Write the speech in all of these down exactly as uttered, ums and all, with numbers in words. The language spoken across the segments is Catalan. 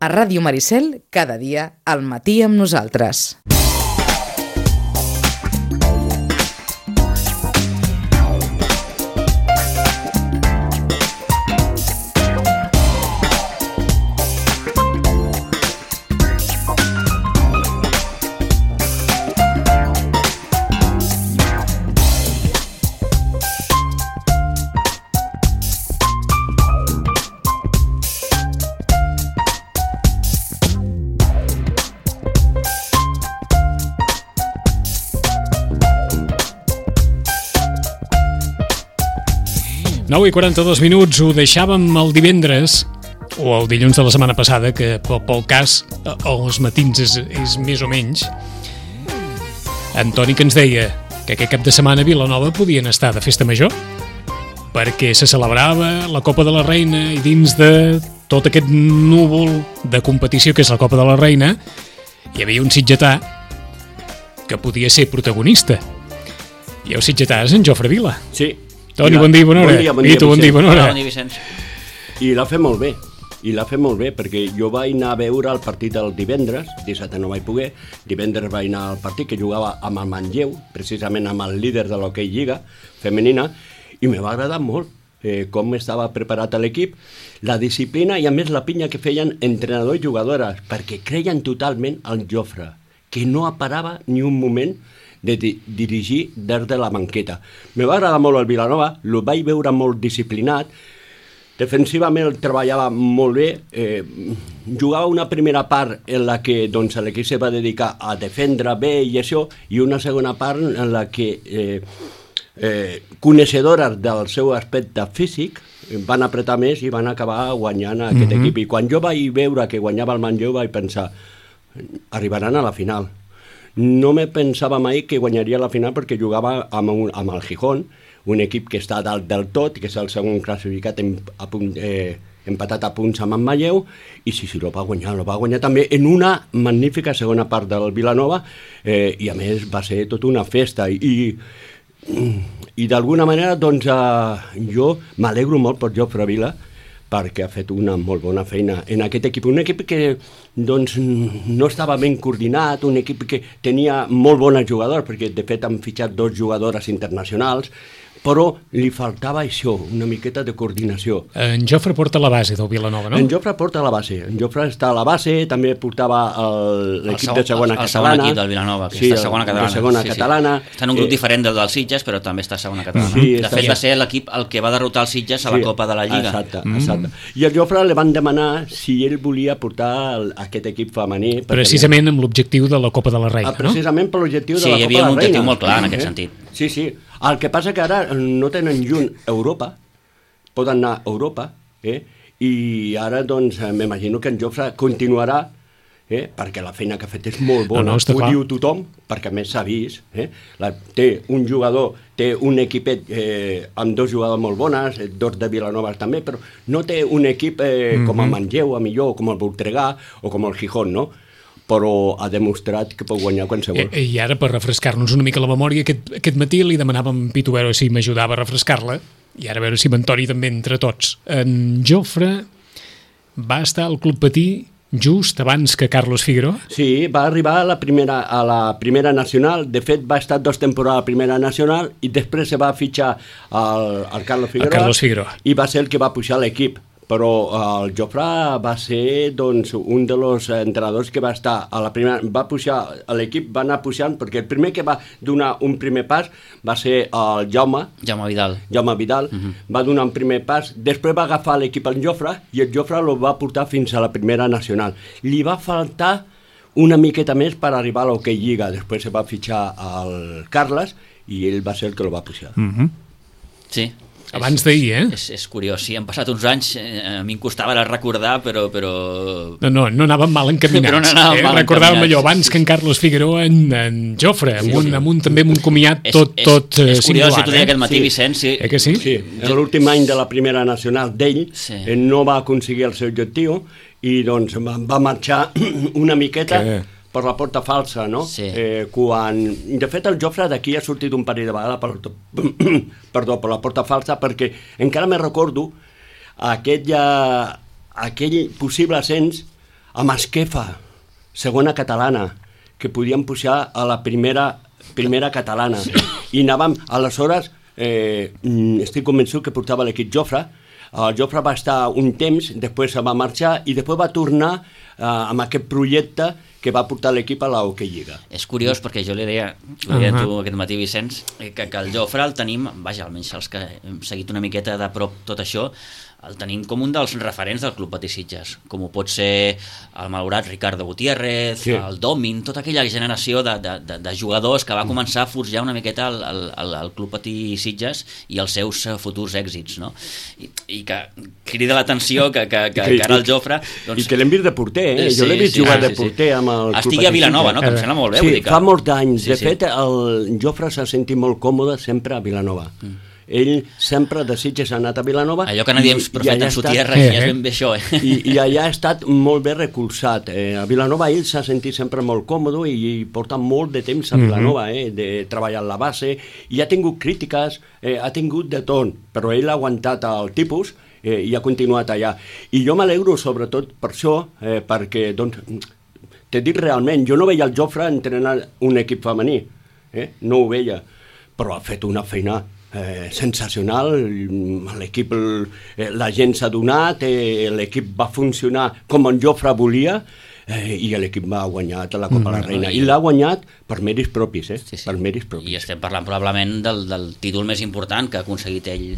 A Ràdio Maricel, cada dia, al matí amb nosaltres. nou i quaranta-dos minuts, ho deixàvem el divendres o el dilluns de la setmana passada, que pel cas els matins és, és més o menys. Antoni, que ens deia que aquest cap de setmana a Vilanova podien estar de festa major perquè se celebrava la Copa de la Reina i dins de tot aquest núvol de competició que és la Copa de la Reina hi havia un sitgetà que podia ser protagonista, i el sitgetà és en Jofre Vila. Sí. Toni, bon dia, bona hora. Bon dia, bon dia, Vito, bon dia, bona hora. Bon dia, Vicenç. I l'ha fet molt bé, i l'ha fet molt bé, perquè jo vaig anar a veure el partit el divendres, dissabte no vaig poder, divendres vaig anar al partit que jugava amb el Manlleu, precisament amb el líder de l'hoquei Lliga femenina, i me va agradar molt eh, com estava preparat l'equip, la disciplina i a més la pinya que feien entrenador i jugadores, perquè creien totalment en Jofre, que no parava ni un moment de di dirigir des de la banqueta. Me va agradar molt el Vilanova, el vaig veure molt disciplinat, defensivament el treballava molt bé, eh, jugava una primera part en la que doncs, l'equip se va dedicar a defendre bé i això, i una segona part en la que eh, eh, coneixedores del seu aspecte físic van apretar més i van acabar guanyant aquest mm-hmm. equip. I quan jo vaig veure que guanyava el Manlleu vaig pensar, arribaran a la final. No me pensava mai que guanyaria la final perquè jugava amb, un, amb el Gijón, un equip que està dalt del tot, que és el segon classificat en, a punt, eh, empatat a punts amb en Manlleu, i sí, sí, lo va guanyar, lo va guanyar també en una magnífica segona part del Vilanova, eh, i a més va ser tota una festa, i, i d'alguna manera doncs eh, jo m'alegro molt per Jofre Vila, perquè ha fet una molt bona feina en aquest equip. Un equip que doncs, no estava ben coordinat, un equip que tenia molt bones jugadors, perquè de fet han fitxat dos jugadores internacionals, però li faltava això, una miqueta de coordinació. En Jofre porta la base del Vilanova, no? En Jofre porta la base. En Jofre està a la base, també portava l'equip de segona el, el catalana. El segon equip del Vilanova, que sí, està a segona catalana. segona sí, catalana. Sí. Està en un grup eh, diferent del dels Sitges, però també està a segona catalana. Sí, de fet, va ser l'equip el que va derrotar els Sitges a la sí, Copa de la Lliga. Exacte, exacte. Mm. I al Jofre li van demanar si ell volia portar el, aquest equip femení. Precisament tenir... amb l'objectiu de la Copa de la Reina, ah, precisament no? per l'objectiu sí, de la Copa de la Reina. Sí, hi havia un objectiu Reina. molt clar en aquest eh? sentit. Sí, sí. El que passa que ara no tenen lluny Europa, poden anar a Europa, eh? I ara doncs m'imagino que en Jofre continuarà, eh? perquè la feina que ha fet és molt bona, no, no, ho clar. Diu tothom, perquè a més s'ha vist, eh? la, té un jugador, té un equipet eh, amb dos jugadors molt bones, dos de Vilanova també, però no té un equip eh, mm-hmm. com el Manlleu, a millor, com el Voltregà o com el Gijón, no? Però ha demostrat que pot guanyar qualsevol. I, i ara, per refrescar-nos una mica la memòria, aquest, aquest matí li demanàvem a Pitu a veure si m'ajudava a refrescar-la, i ara a veure si m'Antoni també entre tots. En Jofre va estar al Club Patí just abans que Carlos Figueroa? Sí, va arribar a la primera, a la primera nacional, de fet va estar dos temporades a la primera nacional i després se va fitxar al, al Carlos Figueroa, el Carlos Figueroa i va ser el que va pujar l'equip. Però el Jofre va ser doncs, un dels entrenadors que va estar a la primera, va pujar, l'equip va anar pujant, perquè el primer que va donar un primer pas va ser el Jaume, Jaume Vidal, Jaume Vidal uh-huh. va donar un primer pas, després va agafar l'equip el Jofre, i el Jofre el va portar fins a la primera nacional. Li va faltar una miqueta més per arribar a l'Hockey Lliga, després se va fitxar el Carles, i ell va ser el que el va pujar. Uh-huh. Sí. Abans d'ahir, eh? És, és curiós, sí, han passat uns anys, eh, a mi em costava recordar, però... però... No, no, no anàvem mal encaminats. Però no anàvem eh? mal Recordàvem encaminats. allò, abans que en Carlos Figueroa, en, en Jofre, amb, sí, un, sí. amb un, també amb un comiat tot, és, tot és, és singular. És curiós, si t'ho deia eh? aquest matí, sí. Vicenç... Sí. Eh que sí? Sí, en l'últim any de la primera nacional d'ell, sí. ell no va aconseguir el seu objectiu, i doncs va, va marxar una miqueta... Que... per la porta falsa, no? Sí. Eh, quan... De fet, el Jofre d'aquí ha sortit un parell de vegades per, perdó, per la porta falsa, perquè encara me recordo aquell, aquell possible ascens amb Esquefa, segona catalana, que podíem pujar a la primera, primera catalana. I anàvem, aleshores, eh, estic convençut que portava l'equip Jofre. El Jofre va estar un temps, després se va marxar i després va tornar eh, amb aquest projecte que va portar l'equip a la Hockey Lliga. És curiós perquè jo li deia, li deia uh-huh. tu aquest matí, Vicenç, que, que el Jofre el tenim, vaja, almenys els que hem seguit una miqueta de prop tot això, el tenim com un dels referents del Club Patí Sitges, com ho pot ser el malaurat Ricardo Gutiérrez, sí. el Domin, tota aquella generació de, de, de, de jugadors que va començar a forjar una miqueta el, el, el, el Club Patí Sitges i els seus futurs èxits, no? I, i que crida l'atenció que, que, que, que ara el Jofre... Doncs... I que l'hem vist de porter, eh? Jo sí, l'he vist sí, jugar sí, de porter sí. amb el Club Estigui a Vilanova, no? Que em sembla molt bé. Sí, vull dir que... fa molts anys. Sí, de sí. fet, el Jofre s'ha sentit molt còmode sempre a Vilanova. Mm. Ell sempre de Sitges ha anat a Vilanova. Allò que nadie profeta en su tierra, eh, ja és ben bé això, eh? I, I allà ha estat molt bé recolzat. Eh, a Vilanova ell s'ha sentit sempre molt còmode i, i porta molt de temps a Vilanova, eh, de treballar a la base, i ha tingut crítiques, eh, ha tingut de tot, però ell ha aguantat el tipus eh, i ha continuat allà. I jo m'alegro sobretot per això, eh, perquè, doncs, t'he dit realment, jo no veia el Jofre entrenar un equip femení, eh? No ho veia, però ha fet una feina Eh, sensacional. L'equip, eh, la gent s'ha donat, eh, l'equip va funcionar com en Jofre volia, eh, i l'equip va guanyar la Copa mm, la Reina, no, i l'ha guanyat per mèrits propis, eh? Sí, sí. Per mèrits propis. I estem parlant probablement del, del títol més important que ha aconseguit ell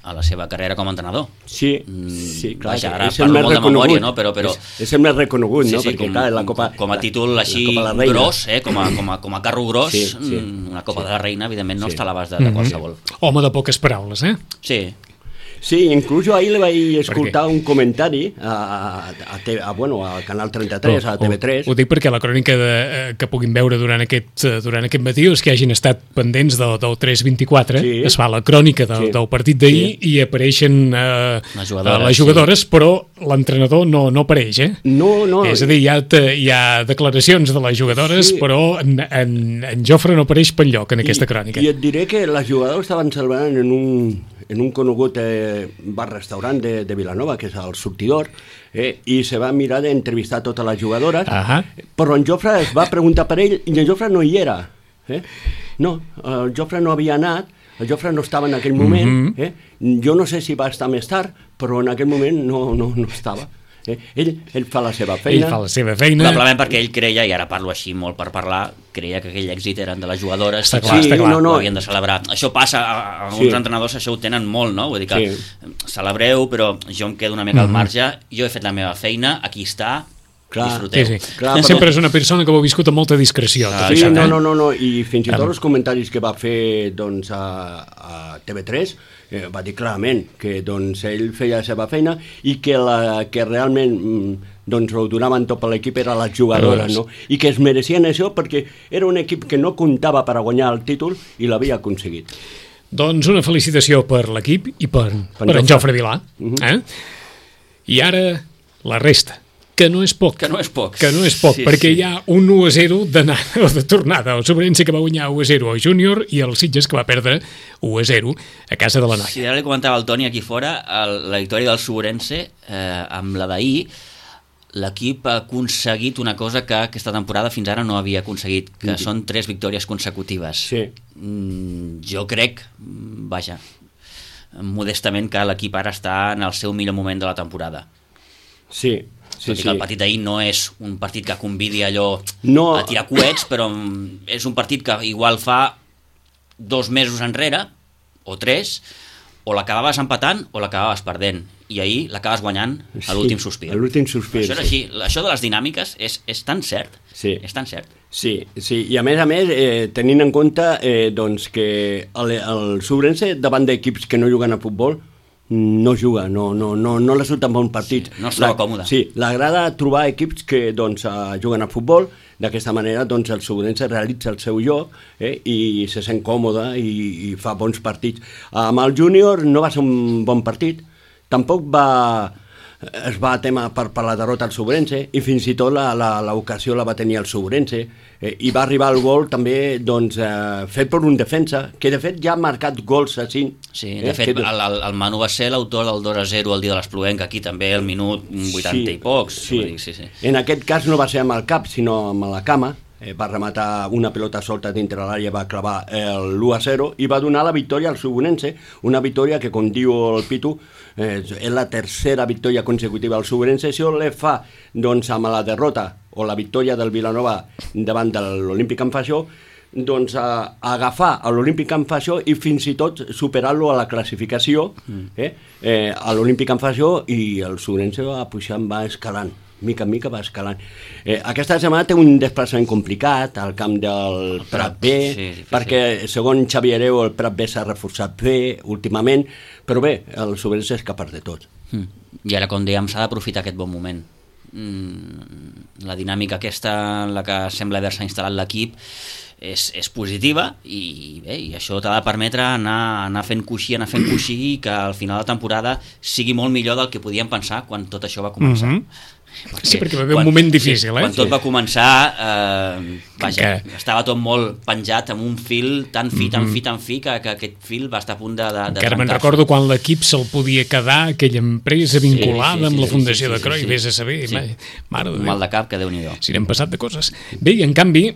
a la seva carrera com a entrenador. Sí, sí, clar. Vaja, ara parlo molt de memòria, no? Però, però... És, és el més reconegut, sí, no? Sí, perquè, com, clar, la Copa... Com a títol així gros, eh? com, a, com, a, com a carro gros, sí, sí. Una Copa sí. de la Reina, evidentment, no sí. està a l'abast de, de qualsevol. Home de poques paraules, eh? Sí. Sí, inclús jo ahir li vaig escoltar un comentari a, a, a, a, bueno, al Canal trenta-tres, a T V tres. Ho, ho dic perquè la crònica de, eh, que puguin veure durant aquest, durant aquest matí és que hagin estat pendents del, del tres vint-i-quatre, sí. Es fa la crònica del, sí. del partit d'ahir sí. i apareixen eh, les jugadores, les jugadores sí. però l'entrenador no, no apareix, eh? No, no. És a dir, hi ha, hi ha declaracions de les jugadores, sí. però en, en, en Jofre no apareix per lloc en aquesta crònica. I, I et diré que les jugadores estaven celebrant en un... en un conegut eh, bar-restaurant de, de Vilanova, que és el Sortidor, eh, i se va mirar d'entrevistar totes les jugadores, uh-huh. però en Jofre es va preguntar per ell, i en Jofre no hi era. Eh? No, el Jofre no havia anat, el Jofre no estava en aquell moment, uh-huh. eh? Jo no sé si va estar més tard, però en aquell moment no, no, no estava. Eh? Ell, ell fa la seva feina. Ell fa la seva feina. Probablement perquè ell creia, i ara parlo així molt per parlar, creia que aquell èxit eren de les jugadores. Està clar, sí, està clar. No, no. Ho havien de celebrar. Això passa, a, a alguns sí. entrenadors això ho tenen molt, no? Vull dir que sí. celebreu, però jo em quedo una mica mm-hmm. al marge, jo he fet la meva feina, aquí està, clar, disfruteu. Sí, sí. Clar, però... Sempre és una persona que ho ha viscut amb molta discreció. Ah, sí, això, no, eh? no, no, no, i fins i tot els comentaris que va fer doncs, a, a T V tres eh, va dir clarament que doncs, ell feia la seva feina i que, la, que realment doncs, ho donaven tot per l'equip era les jugadores, no? I que es mereixien això perquè era un equip que no comptava per a guanyar el títol i l'havia aconseguit. Doncs una felicitació per l'equip i per, per, per en Jofre Vilà. Uh-huh. eh? I ara la resta. Que no és poc. Que no és poc. Que no és poc, sí, perquè sí. hi ha un u a zero d'anada o de tornada. El Sobrense que va guanyar u a zero al Júnior i el Sitges que va perdre u a zero a casa de la Noia. Si ara li comentava al Toni aquí fora, el, la victòria del Sobrense eh, amb la d'ahir, l'equip ha aconseguit una cosa que aquesta temporada fins ara no havia aconseguit, que sí. són tres victòries consecutives. Sí. Mm, jo crec, vaja, modestament que l'equip ara està en el seu millor moment de la temporada. Sí. Sí, Tot i sí. que el partit d'ahir no és un partit que convidi allò no. a tirar coets, però és un partit que igual fa dos mesos enrere, o tres, o l'acabaves empatant o l'acabaves perdent. I ahir l'acabes guanyant a l'últim sospir. Sí, a l'últim sospir. Això és així. Això de les dinàmiques és, és tan cert. Sí. És tan cert. Sí, sí. I a més a més, eh, tenint en compte eh, doncs que el, el Sobrense, davant d'equips que no juguen a futbol, no juga, no, no, no, no li surten bons partits. Sí, no es troba còmode. Sí, l'agrada trobar equips que doncs, uh, juguen a futbol, d'aquesta manera doncs, el Sobrense realitza el seu joc eh, i se sent còmode i, i fa bons partits. Amb el Júnior no va ser un bon partit, tampoc va, es va tema per, per la derrota al Sobrense i fins i tot l'ocasió la, la, la va tenir el Sobrense eh, i va arribar el gol també doncs, eh, fet per un defensa que de fet ja ha marcat gols a cinc. Sí, de eh, fet que... el, el, el Manu va ser l'autor del dos a zero el dia de l'Espluenca, aquí també el minut vuitanta sí, i pocs. Sí. Dir, sí, sí. En aquest cas no va ser amb el cap sinó amb la cama. Eh, va rematar una pelota solta dintre l'àrea, va clavar l'u a zero i va donar la victòria al Subonense, una victòria que, com diu el Pitu, eh, és la tercera victòria consecutiva al Subonense. Això le fa, doncs, amb la derrota o la victòria del Vilanova davant de l'Olímpic en Faió, doncs a, a agafar a l'Olímpic en Faió i fins i tot superar-lo a la classificació eh, eh, a l'Olímpic en Faió, i el Subonense va pujant, va escalant. Mica en mica va escalant. Eh, aquesta setmana té un desplaçament complicat al camp del Prat B, sí, perquè segons Xavi Hereu el Prat B s'ha reforçat bé últimament, però bé, el Sobrense és capaç de tot. Mm. I ara, com dèiem, s'ha d'aprofitar aquest bon moment. Mm, la dinàmica aquesta en la que sembla haver-se instal·lat l'equip és, és positiva i, bé, i això t'ha de permetre anar, anar fent coixí, anar fent coixí i que al final de la temporada sigui molt millor del que podíem pensar quan tot això va començar. Mm-hmm. Perquè, sí, perquè va haver quan, un moment difícil, sí, eh? Quan tot va començar, eh, vaja, que... estava tot molt penjat amb un fil tan fi, tan fi, tan fi, que, que aquest fil va estar a punt de, de, de encara me'n recordo quan l'equip se'l podia quedar, aquella empresa vinculada sí, sí, sí, amb la Fundació sí, sí, de Croi, sí, sí. Vés a saber, sí. Mare de Déu. Mal de cap, que Déu-n'hi-do. Si n'hem passat de coses. Bé, i en canvi,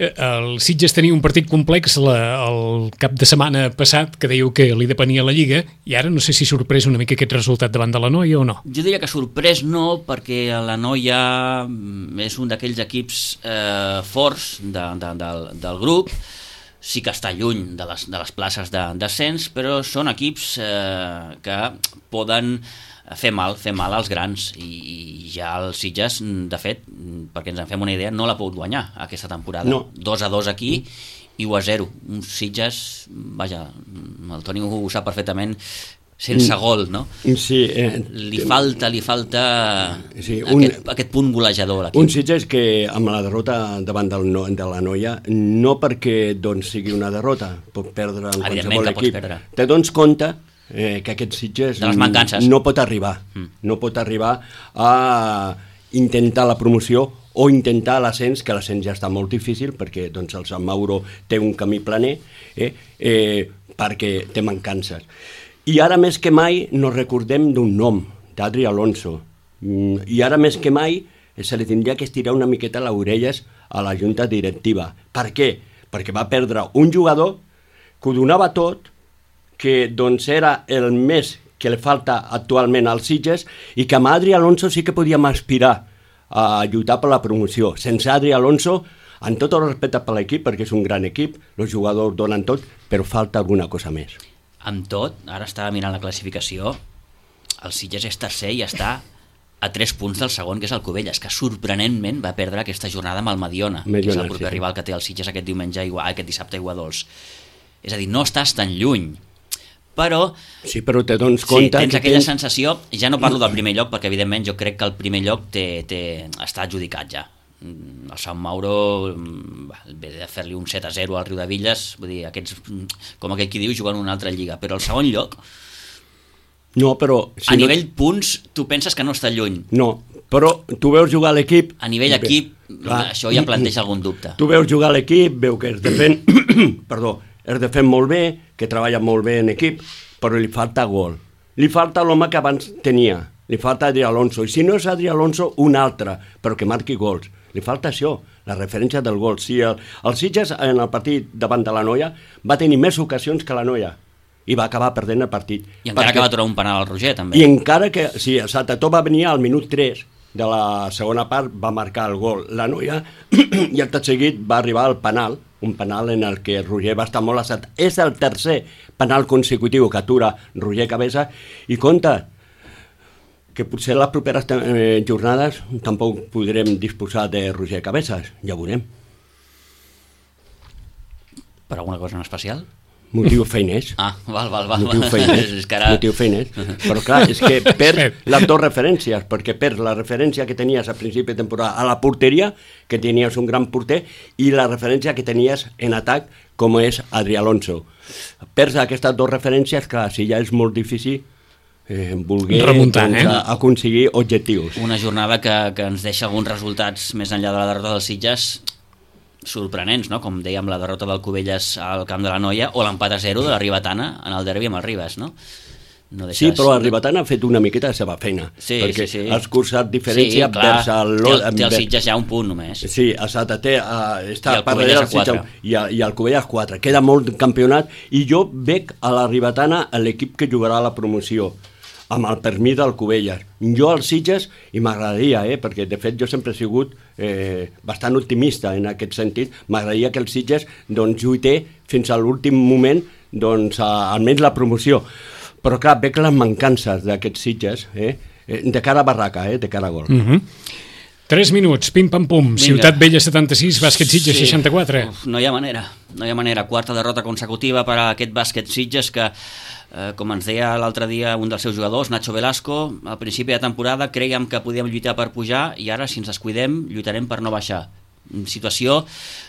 el Sitges tenia un partit complex la, el cap de setmana passat, que dèieu que li depenia la Lliga, i ara no sé si sorprès una mica aquest resultat davant de la Noia o no. Jo diria que sorprès no, perquè la Noia és un d'aquells equips eh, forts de, de, de, del grup, sí que està lluny de les, de les places de descens, però són equips eh, que poden fer mal, fer mal als grans, i, i ja el Sitges, de fet, perquè ens en fem una idea, no l'ha pogut guanyar aquesta temporada. No. dos a dos aquí i u a zero. Un Sitges, vaja, el Toni ho sap perfectament, sense gol, no? Sí. Eh, li falta, li falta sí, un, aquest, aquest punt golejador a l'equip. Un Sitges que amb la derrota davant del, de la Noia, no perquè doncs, sigui una derrota, pot perdre en qualsevol equip, te dones compte eh, que aquest Sitges no pot arribar, mm. no pot arribar a intentar la promoció o intentar l'ascens, que l'ascens ja està molt difícil perquè doncs, el Sant Mauro té un camí planer, eh, eh, perquè té mancances. I ara més que mai nos recordem d'un nom, d'Adri Alonso. I ara més que mai se li tindria que estirar una miqueta les orelles a la junta directiva. Per què? Perquè va perdre un jugador que ho donava tot, que doncs era el més que li falta actualment als Sitges i que amb Adri Alonso sí que podíem aspirar a lluitar per la promoció. Sense Adri Alonso, amb tot el respecte per l'equip, perquè és un gran equip, els jugadors donen tot, però falta alguna cosa més. Amb tot, ara estava mirant la classificació, el Sitges és tercer i està a tres punts del segon, que és el Cubelles, que sorprenentment va perdre aquesta jornada amb el Mediona, Mediona que és el proper sí. rival que té el Sitges aquest diumenge, aquest dissabte a Iguadols. És a dir, no estàs tan lluny, però... Sí, però te dones compte... Sí, tens que aquella tens... sensació, ja no parlo del primer lloc, perquè evidentment jo crec que el primer lloc té, té, està adjudicat ja. El Sant Mauro ve de fer-li un set a zero al Riu de Villes, vull dir, aquests, com aquell qui diu, jugant una altra lliga, però el segon lloc no, però, si a no... nivell punts tu penses que no està lluny, no, però tu veus jugar l'equip a nivell equip, clar, això ja planteja algun dubte, tu veus jugar l'equip, veu que es defèn perdó, es defèn molt bé, que treballa molt bé en equip, però li falta gol, li falta l'home que abans tenia, li falta Adri Alonso, i si no és Adri Alonso, un altre, però que marqui gols. Li falta això, la referència del gol. Si el, el Sitges en el partit davant de la Noia va tenir més ocasions que la Noia i va acabar perdent el partit. I encara perquè... que va aturar un penal al Roger, també. I encara que, sí, el Saltató va venir al minut tres de la segona part, va marcar el gol. La Noia, i el tot seguit, va arribar al penal, un penal en el que Roger va estar molt assat. És el tercer penal consecutiu que atura Roger Cabeza, i compte, que potser les properes eh, jornades tampoc podrem disposar de Roger Cabezas, ja ho veurem. Per alguna cosa en especial? Motiu feiners. Ah, val, val, val. Motiu feiners. És que ara... Motiu feiners. Però clar, és que perd les dues referències, perquè perd la referència que tenies a principi de temporada a la porteria, que tenies un gran porter, i la referència que tenies en atac, com és Adri Alonso. Perds aquestes dues referències, clar, si ja és molt difícil eh, volguer remuntar, doncs, eh? aconseguir objectius. Una jornada que, que ens deixa alguns resultats més enllà de la derrota dels Sitges sorprenents, no? Com dèiem, la derrota del Cubelles al Camp de la Noia o l'empat a zero de la Ribetana en el derbi amb el Ribes, no? No sí, però el Ribetana ha fet una miqueta la seva feina, sí, perquè sí, sí. ha escurçat diferència sí, clar, vers el... Té el, té el Sitges ja un punt només. Sí, exacte, té, uh, està I el per darrere el Sitges i, i el Cubelles quatre, queda molt campionat, i jo veig a la Ribetana l'equip que jugarà a la promoció, amb el permís del Cubelles. Jo al Sitges, i m'agradaria, eh, perquè de fet jo sempre he sigut eh, bastant optimista en aquest sentit, m'agradaria que el Sitges doncs, lluité fins a l'últim moment doncs, a, almenys la promoció. Però clar, veig les mancances d'aquests Sitges, eh? de cara a barraca, eh? de cara a gol. Uh -huh. Tres minuts, pim-pam-pum, Ciutat Vella setanta-sis, Bàsquet Sitges sí. seixanta-quatre. Uf, no hi ha manera, no hi ha manera. Quarta derrota consecutiva per a aquest Bàsquet Sitges que, eh, com ens deia l'altre dia un dels seus jugadors, Nacho Velasco, al principi de temporada crèiem que podíem lluitar per pujar i ara, si ens descuidem, lluitarem per no baixar. Situació,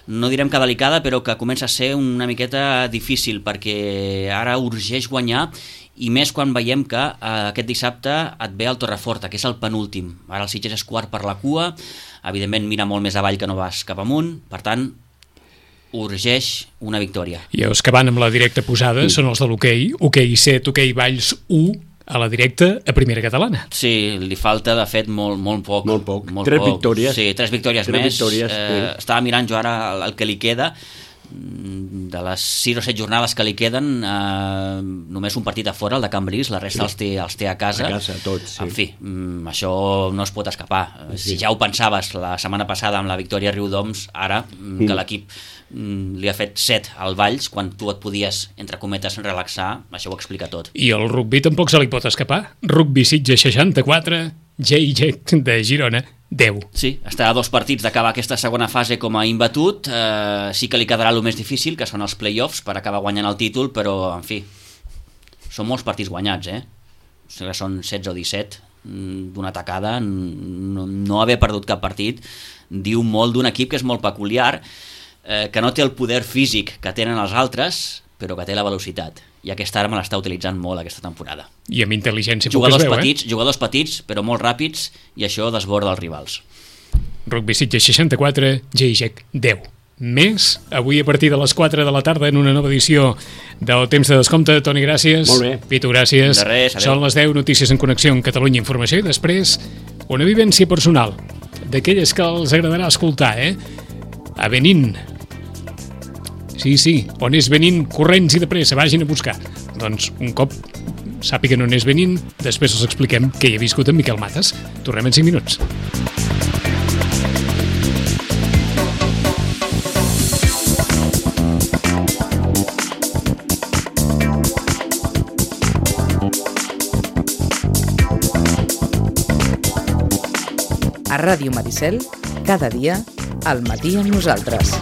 no direm que delicada, però que comença a ser una miqueta difícil, perquè ara urgeix guanyar, i més quan veiem que eh, aquest dissabte et ve el Torreforta, que és el penúltim. Ara el Sitges és quart per la cua, evidentment mira molt més avall que no vas cap amunt, per tant urgeix una victòria. I els que van amb la directa posada mm. són els de l'hoquei, hoquei set, hoquei Valls u, a la directa a primera catalana. Sí, li falta de fet molt, molt poc. Molt poc, molt tres poc. victòries. Sí, tres victòries tres més. Victòries, eh, sí. Estava mirant jo ara el, el que li queda, de les sis o set jornades que li queden, eh, només un partit a fora, el de Cambrils, la resta sí. els, té, els té a casa. A casa, tots, sí. En fi, mm, això no es pot escapar. Sí. Si ja ho pensaves la setmana passada amb la victòria a Riudoms, ara mm. que l'equip mm, li ha fet set al Valls, quan tu et podies, entre cometes, relaxar, això ho explica tot. I el rugby tampoc se li pot escapar. Rugby Sitges seixanta-quatre, J J de Girona deu. Sí, està a dos partits d'acabar aquesta segona fase com a imbatut. Eh, sí que li quedarà el més difícil, que són els play-offs, per acabar guanyant el títol, però, en fi, són molts partits guanyats, eh? O sigui, són setze o disset d'una tacada. No, no haver perdut cap partit diu molt d'un equip que és molt peculiar, eh, que no té el poder físic que tenen els altres, però que té la velocitat. I aquesta arma l'està utilitzant molt aquesta temporada. I amb intel·ligència jugadors poc es veu, petits, eh? Jugadors petits, però molt ràpids, i això desborda els rivals. Rugby Sitges seixanta-quatre, J J deu. Més, avui a partir de les quatre de la tarda en una nova edició del Temps de Descompte. Toni, gràcies. Molt bé. Pitu, gràcies. De res, adeu. Són les deu, notícies en connexió amb Catalunya Informació, i després una vivència personal, d'aquelles que els agradarà escoltar, eh? A Benín. Sí, sí, on és Benín, corrents i de pressa, vagin a buscar. Doncs un cop sàpiguen on és Benín, després els expliquem què hi ha viscut en Miquel Mates. Tornem en cinc minuts. A Ràdio Maricel, cada dia, al matí amb nosaltres.